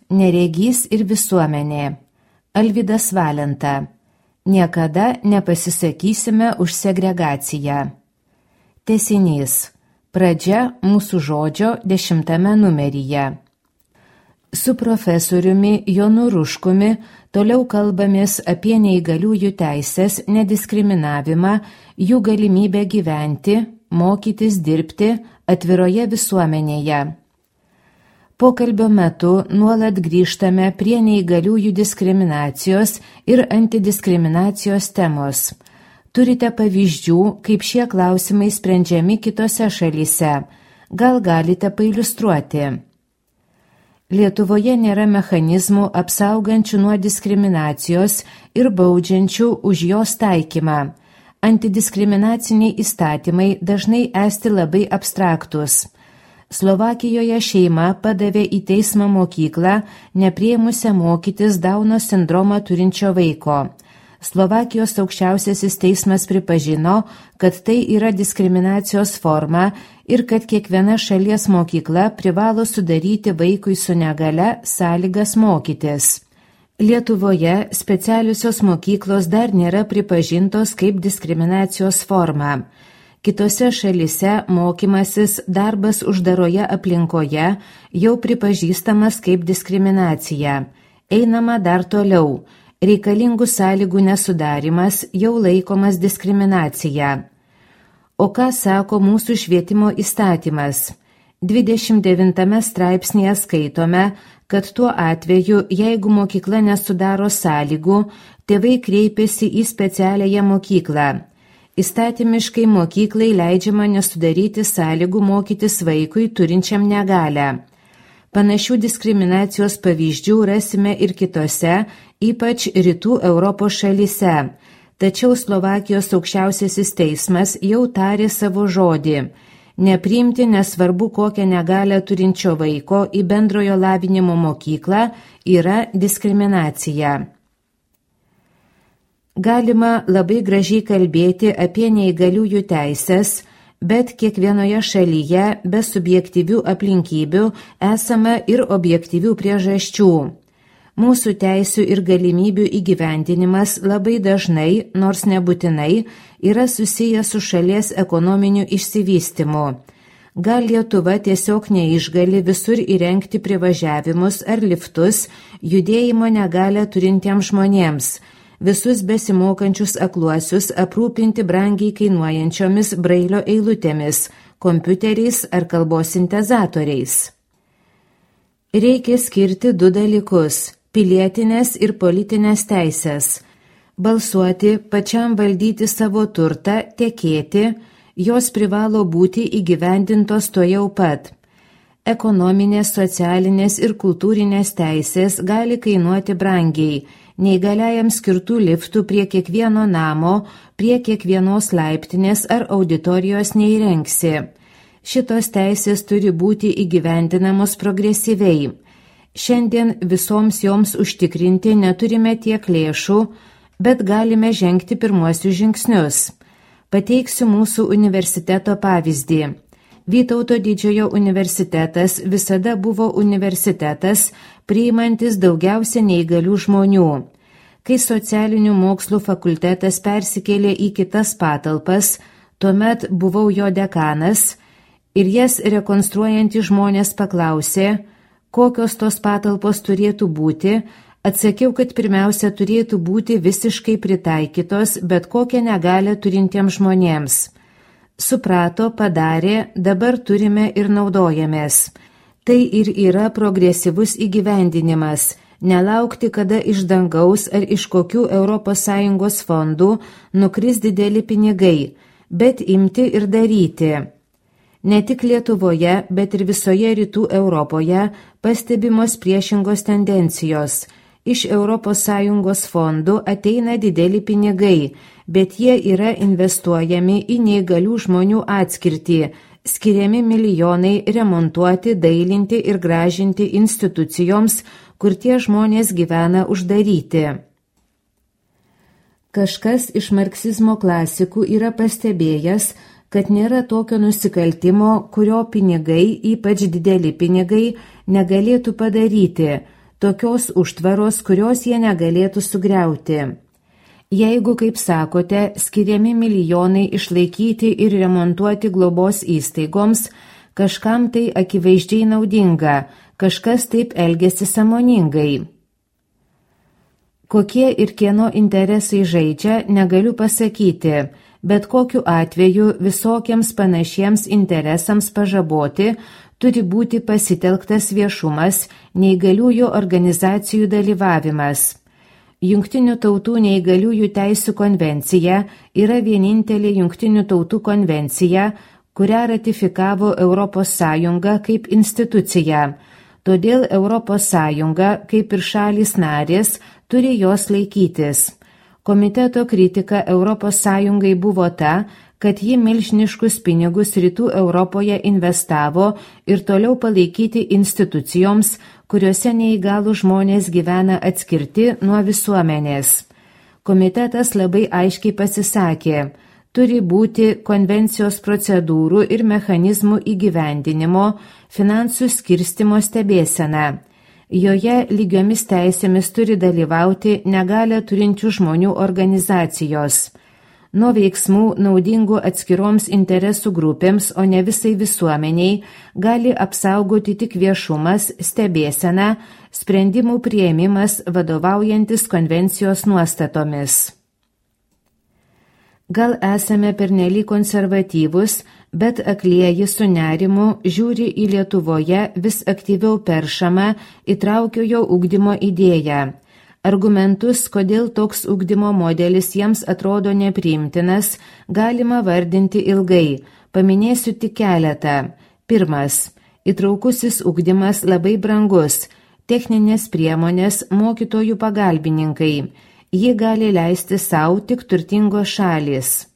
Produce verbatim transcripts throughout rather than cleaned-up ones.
Neregys ir visuomenė. Alvydas Valenta. Niekada nepasisakysime už segregaciją. Tęsinys. Pradžia mūsų žodžio dešimtame numeryje. Su profesoriumi Jonu Ruškumi toliau kalbamės apie neįgaliųjų teisės, nediskriminavimą, jų galimybę gyventi, mokytis, dirbti atviroje visuomenėje. Pokalbio metu nuolat grįžtame prie neįgaliųjų diskriminacijos ir antidiskriminacijos temos. Turite pavyzdžių, kaip šie klausimai sprendžiami kitose šalyse. Gal galite pailiustruoti? Lietuvoje nėra mechanizmų apsaugančių nuo diskriminacijos ir baudžiančių už jos taikymą. Antidiskriminaciniai įstatymai dažnai esti labai abstraktus. Slovakijoje šeima padavė į teismą mokyklą, nepriėmusią mokytis Dauno sindromą turinčio vaiko. Slovakijos aukščiausiasis teismas pripažino, kad tai yra diskriminacijos forma ir kad kiekviena šalies mokykla privalo sudaryti vaikui su negale sąlygas mokytis. Lietuvoje specialiosios mokyklos dar nėra pripažintos kaip diskriminacijos forma. Kitose šalise mokymasis darbas uždaroje aplinkoje jau pripažįstamas kaip diskriminacija. Einama dar toliau. Reikalingų sąlygų nesudarimas jau laikomas diskriminacija. O ką sako mūsų švietimo įstatymas? dvidešimt devintame straipsnėje skaitome, kad tuo atveju, jeigu mokykla nesudaro sąlygų, tėvai kreipiasi į specialiąją mokyklą. Įstatymiškai mokyklai leidžiama nesudaryti sąlygų mokytis vaikui turinčiam negalią. Panašių diskriminacijos pavyzdžių rasime ir kitose, ypač rytų Europos šalyse. Tačiau Slovakijos aukščiausiasis teismas jau tarė savo žodį. Nepriimti nesvarbu kokią negalią turinčio vaiko į bendrojo lavinimo mokyklą yra diskriminacija. Galima labai gražiai kalbėti apie neįgaliųjų teisės, bet kiekvienoje šalyje be subjektyvių aplinkybių esama ir objektyvių priežasčių. Mūsų teisių ir galimybių įgyvendinimas labai dažnai, nors nebūtinai, yra susijęs su šalies ekonominiu išsivystymu. Gal Lietuva tiesiog neišgali visur įrengti privažiavimus ar liftus judėjimo negalią turintiems žmonėms, visus besimokančius akluosius aprūpinti brangiai kainuojančiomis brailio eilutėmis, kompiuteriais ar kalbos sintezatoriais. Reikia skirti du dalykus – pilietinės ir politinės teisės. Balsuoti, pačiam valdyti savo turtą, tekėti, jos privalo būti įgyvendintos tuojau pat. Ekonominės, socialinės ir kultūrinės teisės gali kainuoti brangiai, neįgaliajam skirtų liftų prie kiekvieno namo, prie kiekvienos laiptinės ar auditorijos neįrengsi. Šitos teisės turi būti įgyvendinamos progresyviai. Šiandien visoms joms užtikrinti neturime tiek lėšų, bet galime žengti pirmuosius žingsnius. Pateiksiu mūsų universiteto pavyzdį. Vytauto Didžiojo universitetas visada buvo universitetas, priimantis daugiausia neįgalių žmonių. Kai socialinių mokslų fakultetas persikėlė į kitas patalpas, tuomet buvau jo dekanas ir jas rekonstruojantys žmonės paklausė, kokios tos patalpos turėtų būti, atsakiau, kad pirmiausia turėtų būti visiškai pritaikytos bet kokią negalią turintiems žmonėms. Suprato, padarė, dabar turime ir naudojamės. Tai ir yra progresyvus įgyvendinimas, nelaukti, kada iš dangaus ar iš kokių Europos Sąjungos fondų nukris dideli pinigai, bet imti ir daryti. Ne tik Lietuvoje, bet ir visoje rytų Europoje pastebimos priešingos tendencijos. Iš Europos Sąjungos fondų ateina dideli pinigai, bet jie yra investuojami į neįgalių žmonių atskirtį, skiriami milijonai remontuoti, dailinti ir gražinti institucijoms, kur tie žmonės gyvena uždaryti. Kažkas iš marksizmo klasikų yra pastebėjęs, kad nėra tokio nusikaltimo, kurio pinigai, ypač dideli pinigai, negalėtų padaryti, tokios užtvaros, kurios jie negalėtų sugriauti. Jeigu, kaip sakote, skiriami milijonai išlaikyti ir remontuoti globos įstaigoms, kažkam tai akivaizdžiai naudinga, kažkas taip elgiasi sąmoningai. Kokie ir kieno interesai žaidžia, negaliu pasakyti, bet kokiu atveju visokiems panašiems interesams pažaboti turi būti pasitelktas viešumas, neįgaliųjų organizacijų dalyvavimas. Jungtinių tautų neįgaliųjų teisių konvencija yra vienintelė Jungtinių tautų konvencija, kurią ratifikavo Europos Sąjunga kaip institucija. Todėl Europos Sąjunga, kaip ir šalys narės, turi jos laikytis. Komiteto kritika Europos Sąjungai buvo ta, kad ji milžiniškus pinigus Rytų Europoje investavo ir toliau palaikyti institucijoms, kuriuose neįgalų žmonės gyvena atskirti nuo visuomenės. Komitetas labai aiškiai pasisakė, turi būti konvencijos procedūrų ir mechanizmų įgyvendinimo, finansų skirstymo stebėsena. Joje lygiomis teisėmis turi dalyvauti negalią turinčių žmonių organizacijos. Nuo veiksmų naudingų atskiroms interesų grupėms, o ne visai visuomeniai, gali apsaugoti tik viešumas, stebėsena, sprendimų priėmimas vadovaujantis konvencijos nuostatomis. Gal esame pernelyg konservatyvus, bet aklieji su nerimu žiūri į Lietuvoje vis aktyviau peršamą įtraukiojo ugdymo idėją. Argumentus, kodėl toks ugdymo modelis jiems atrodo nepriimtinas, galima vardinti ilgai. Paminėsiu tik keletą. Pirmas. Įtraukusis ugdymas labai brangus. Techninės priemonės, mokytojų pagalbininkai. Jį gali leisti savo tik turtingos šalys.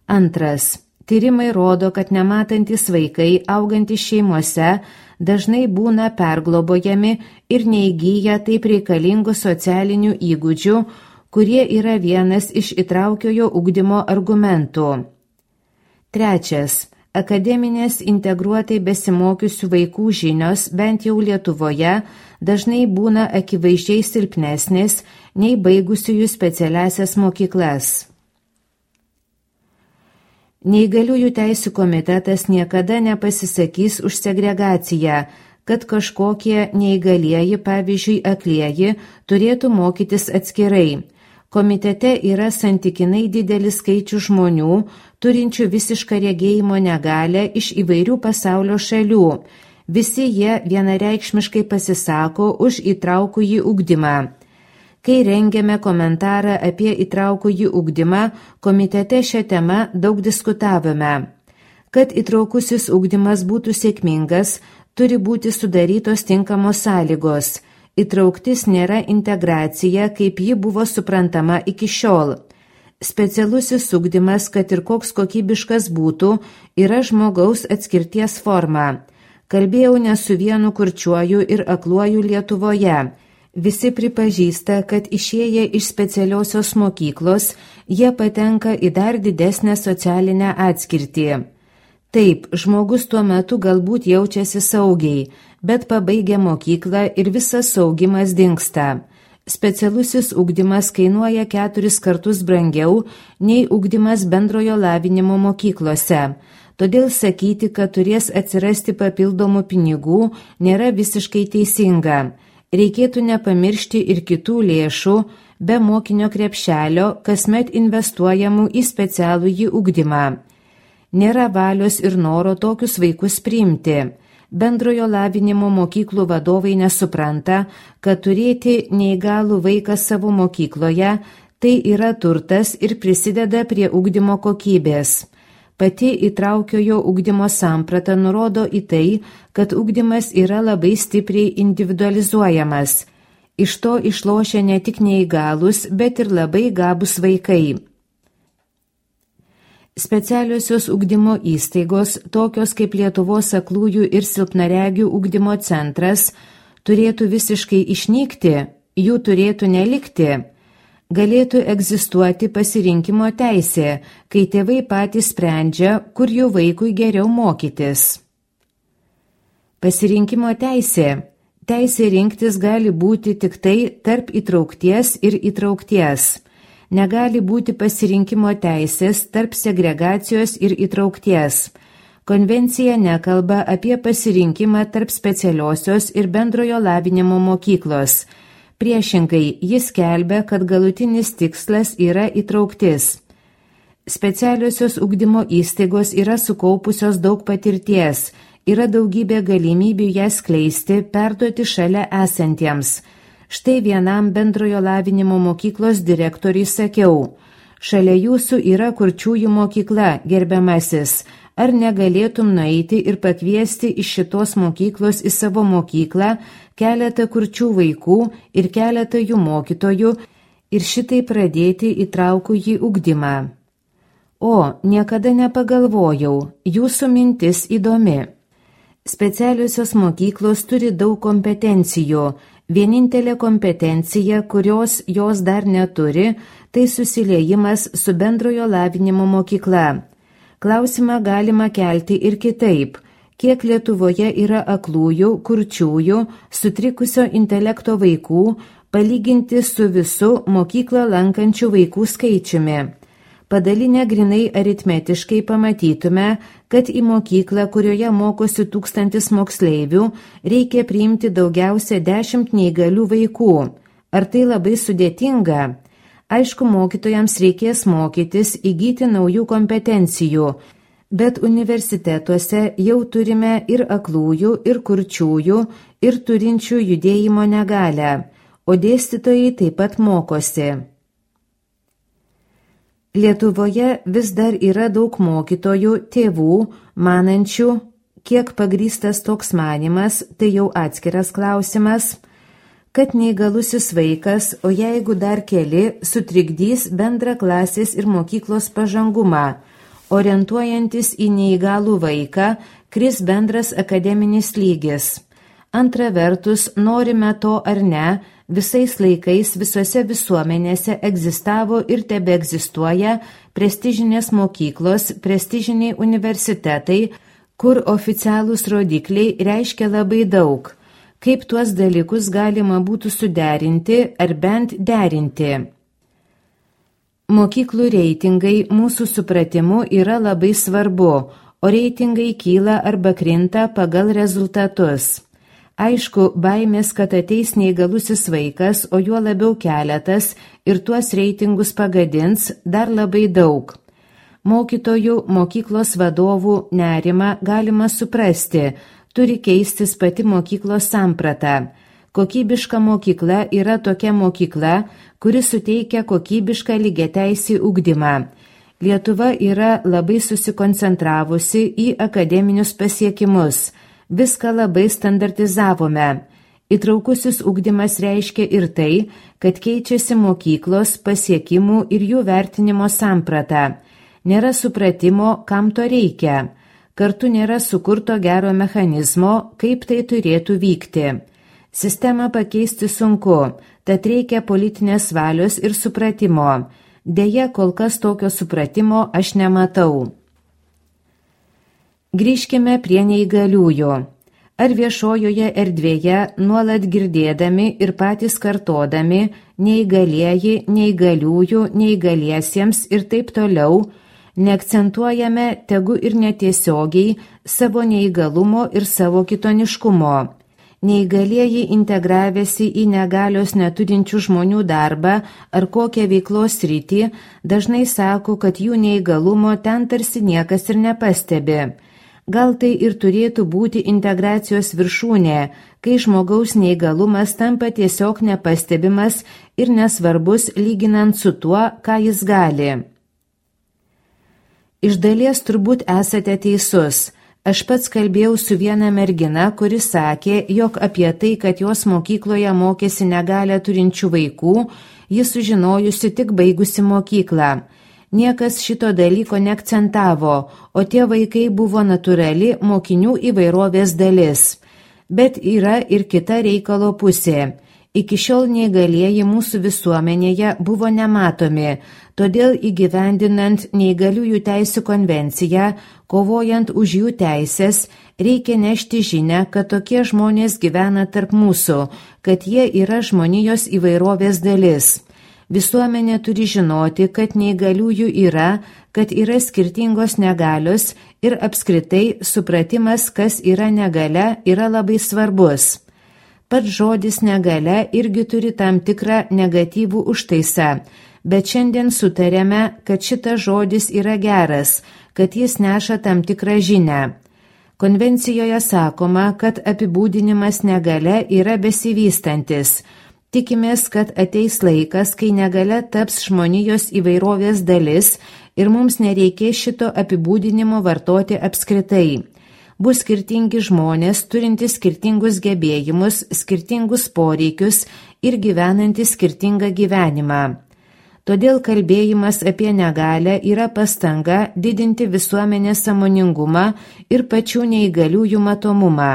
Antras. Tyrimai rodo, kad nematantis vaikai, augantys šeimose, dažnai būna perglobojami ir neįgyja taip reikalingų socialinių įgūdžių, kurie yra vienas iš įtraukiojo ugdymo argumentų. Trečias. Akademinės integruotai besimokiusių vaikų žinios, bent jau Lietuvoje, dažnai būna akivaizdžiai silpnesnės nei baigusiųjų specialiasias mokyklas. Neįgaliųjų teisių komitetas niekada nepasisakys už segregaciją, kad kažkokie neįgalieji, pavyzdžiui, aklieji, turėtų mokytis atskirai. Komitete yra santykinai didelis skaičius žmonių, turinčių visišką regėjimo negalią iš įvairių pasaulio šalių. Visi jie vienareikšmiškai pasisako už įtraukųjį ugdymą. Kai rengėme komentarą apie įtraukųjį ugdymą, komitete šią temą daug diskutavome. Kad įtraukusis ugdymas būtų sėkmingas, turi būti sudarytos tinkamos sąlygos. Įtrauktis nėra integracija, kaip ji buvo suprantama iki šiol. Specialusis ugdymas, kad ir koks kokybiškas būtų, yra žmogaus atskirties forma. Kalbėjau ne su vienu kurčiuoju ir akluoju Lietuvoje. Visi pripažįsta, kad išėję iš specialiosios mokyklos, jie patenka į dar didesnę socialinę atskirtį. Taip, žmogus tuo metu galbūt jaučiasi saugiai, bet pabaigia mokyklą ir visas saugimas dingsta. Specialusis ugdymas kainuoja keturis kartus brangiau nei ugdymas bendrojo lavinimo mokyklose. Todėl sakyti, kad turės atsirasti papildomų pinigų, nėra visiškai teisinga. Reikėtų nepamiršti ir kitų lėšų, be mokinio krepšelio, kasmet investuojamų į specialųjį ugdymą. Nėra valios ir noro tokius vaikus priimti. Bendrojo lavinimo mokyklų vadovai nesupranta, kad turėti neįgalų vaiką savo mokykloje tai yra turtas ir prisideda prie ugdymo kokybės. Pati įtraukiojo ugdymo samprata nurodo į tai, kad ugdymas yra labai stipriai individualizuojamas. Iš to išlošia ne tik neįgalus, bet ir labai gabūs vaikai. Specialiosios ugdymo įstaigos, tokios kaip Lietuvos aklųjų ir silpnaregių ugdymo centras, turėtų visiškai išnykti, jų turėtų nelikti. Galėtų egzistuoti pasirinkimo teisė, kai tėvai patys sprendžia, kur jų vaikui geriau mokytis. Pasirinkimo teisė. Teisė rinktis gali būti tik tai tarp įtraukties ir įtraukties. Negali būti pasirinkimo teisės tarp segregacijos ir įtraukties. Konvencija nekalba apie pasirinkimą tarp specialiosios ir bendrojo lavinimo mokyklos. Priešingai, jis skelbia, kad galutinis tikslas yra įtrauktis. Specialiosios ugdymo įstaigos yra sukaupusios daug patirties, yra daugybė galimybių ją skleisti, perduoti šalia esantiems. Štai vienam bendrojo lavinimo mokyklos direktoriui sakiau: šalia jūsų yra kurčiųjų mokykla, gerbiamasis. Ar negalėtum nueiti ir pakviesti iš šitos mokyklos į savo mokyklą keletą kurčių vaikų ir keletą jų mokytojų ir šitai pradėti įtraukųjį ugdymą? O, niekada nepagalvojau, jūsų mintis įdomi. Specialiosios mokyklos turi daug kompetencijų. Vienintelė kompetencija, kurios jos dar neturi, tai susiliejimas su bendrojo lavinimo mokykla. Klausimą galima kelti ir kitaip. Kiek Lietuvoje yra aklųjų, kurčiųjų, sutrikusio intelekto vaikų, palyginti su visu mokyklą lankančių vaikų skaičiumi? Padalinę grinai aritmetiškai pamatytume, kad į mokyklą, kurioje mokosi tūkstantis moksleivių, reikia priimti daugiausia dešimt neįgalių vaikų. Ar tai labai sudėtinga? Aišku, mokytojams reikės mokytis, įgyti naujų kompetencijų, bet universitetuose jau turime ir aklųjų, ir kurčiųjų, ir turinčių judėjimo negalią, o dėstytojai taip pat mokosi. Lietuvoje vis dar yra daug mokytojų, tėvų, manančių, kiek pagrįstas toks manimas, tai jau atskiras klausimas, kad neįgalusis vaikas, o jeigu dar keli, sutrikdys bendrą klasės ir mokyklos pažangumą. Orientuojantis į neįgalų vaiką, kris bendras akademinis lygis. Antra vertus, norime to ar ne, visais laikais visose visuomenėse egzistavo ir tebeegzistuoja prestižinės mokyklos, prestižiniai universitetai, kur oficialūs rodikliai reiškia labai daug. Kaip tuos dalykus galima būtų suderinti ar bent derinti? Mokyklų reitingai mūsų supratimu yra labai svarbu, o reitingai kyla arba krinta pagal rezultatus. Aišku, baimės, kad ateis neįgalusis vaikas, o juo labiau keletas ir tuos reitingus pagadins, dar labai daug. Mokytojų, mokyklos vadovų nerimą galima suprasti, turi keistis pati mokyklos samprata. Kokybiška mokykla yra tokia mokykla, kuri suteikia kokybišką lygiateisį ugdymą. Lietuva yra labai susikoncentravusi į akademinius pasiekimus. Viską labai standartizavome. Įtraukusis ugdymas reiškia ir tai, kad keičiasi mokyklos pasiekimų ir jų vertinimo samprata. Nėra supratimo, kam to reikia. Kartu nėra sukurto gero mechanizmo, kaip tai turėtų vykti. Sistemą pakeisti sunku, tad reikia politinės valios ir supratimo. Deja, kol kas tokio supratimo aš nematau. Grįžkime prie neįgaliųjų. Ar viešojoje erdvėje nuolat girdėdami ir patys kartodami neįgalieji, neįgaliųjų, neįgaliesiems ir taip toliau, neakcentuojame tegu ir netiesiogiai savo neįgalumo ir savo kitoniškumo. Neįgalieji integravęsi į negalios neturinčių žmonių darbą ar kokią veiklos sritį dažnai sako, kad jų neįgalumo ten tarsi niekas ir nepastebi. Gal tai ir turėtų būti integracijos viršūnė, kai žmogaus neįgalumas tampa tiesiog nepastebimas ir nesvarbus lyginant su tuo, ką jis gali. Iš dalies turbūt esate teisus. Aš pats kalbėjau su viena mergina, kuri sakė, jog apie tai, kad jos mokykloje mokėsi negalią turinčių vaikų, ji sužinojusi tik baigusi mokyklą. Niekas šito dalyko neakcentavo, o tie vaikai buvo natūrali mokinių įvairovės dalis. Bet yra ir kita reikalo pusė. Iki šiol neįgalieji mūsų visuomenėje buvo nematomi, todėl įgyvendinant neįgaliųjų teisių konvenciją, kovojant už jų teisės, reikia nešti žinią, kad tokie žmonės gyvena tarp mūsų, kad jie yra žmonijos įvairovės dalis. Visuomenė turi žinoti, kad neįgaliųjų yra, kad yra skirtingos negalios ir apskritai supratimas, kas yra negalia, yra labai svarbus. Pats žodis negalia irgi turi tam tikrą negatyvų užtaisą, bet šiandien sutarėme, kad šitas žodis yra geras, kad jis neša tam tikrą žinią. Konvencijoje sakoma, kad apibūdinimas negalia yra besivystantis. Tikimės, kad ateis laikas, kai negalia taps žmonijos įvairovės dalis ir mums nereikės šito apibūdinimo vartoti apskritai. Bus skirtingi žmonės, turintys skirtingus gebėjimus, skirtingus poreikius ir gyvenantys skirtingą gyvenimą. Todėl kalbėjimas apie negalią yra pastanga didinti visuomenės sąmoningumą ir pačių neįgaliųjų matomumą.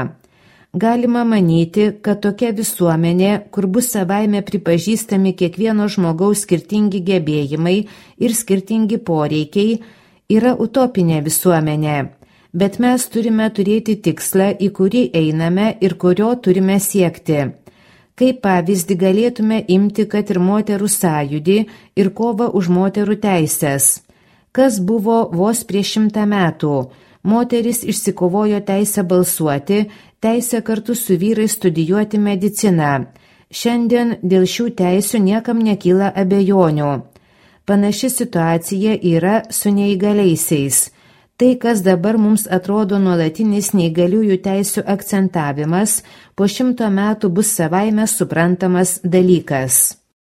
Galima manyti, kad tokia visuomenė, kur bus savaime pripažįstami kiekvieno žmogaus skirtingi gebėjimai ir skirtingi poreikiai, yra utopinė visuomenė. Bet mes turime turėti tikslą, į kurį einame ir kurio turime siekti. Kaip pavyzdį galėtume imti, kad ir moterų sąjūdį ir kovą už moterų teisės. Kas buvo vos prieš šimtą metų? Moteris išsikovojo teisę balsuoti, teisę kartu su vyrais studijuoti mediciną. Šiandien dėl šių teisių niekam nekyla abejonių. Panaši situacija yra su neįgaliaisiais. Tai, kas dabar mums atrodo nuolatinis neįgaliųjų teisių akcentavimas, po šimto metų bus savaime suprantamas dalykas.